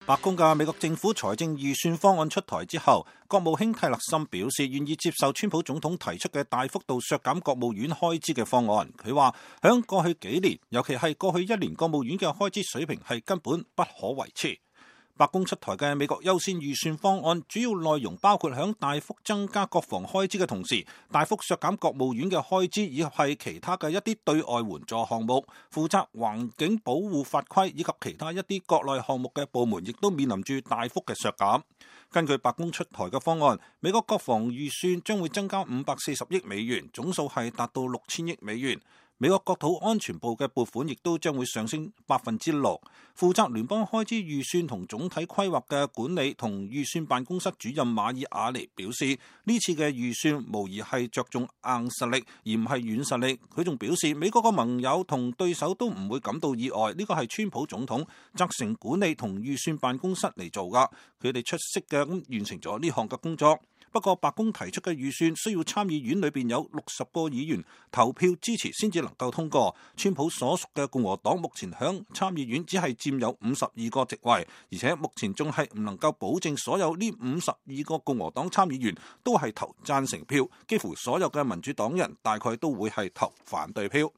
白宮嘅美國政府財政預算方案出台之後，國務卿蒂勒森表示願意接受川普總統提出嘅大幅度削減國務院開支嘅方案。佢話響過去幾年，尤其係過去一年，國務院嘅開支水平係根本不可維持。白宮出台嘅美國優先預算方案主要內容包括響大幅增加國防開支嘅同時，大幅削減國務院嘅開支，以及係其他嘅一啲對外援助項目。負責環境保護法規以及其他一啲國內項目嘅部門，亦都面臨住大幅嘅削減。根據白宮出台嘅方案，美國國防預算將會增加540億美元，總數係達到6000億美元。美國國土安全部嘅撥款亦都將會上升6%。負責聯邦開支預算同總體規劃嘅管理同預算辦公室主任馬爾亞尼表示，呢次嘅預算無疑係着重硬實力而唔係軟實力。佢仲表示，美國嘅盟友同對手都唔會感到意外，呢個係川普總統責成管理同預算辦公室嚟做噶，佢哋出色嘅完成咗呢項嘅工作。不過白宮提出嘅預算需要參議院裏邊有60個議員投票支持先至能夠通過。川普所屬嘅共和黨目前響參議院只係佔有52個席位，而且目前仲係唔能夠保證所有呢52個共和黨參議員都係投贊成票，幾乎所有嘅民主黨人大概都會係投反對票。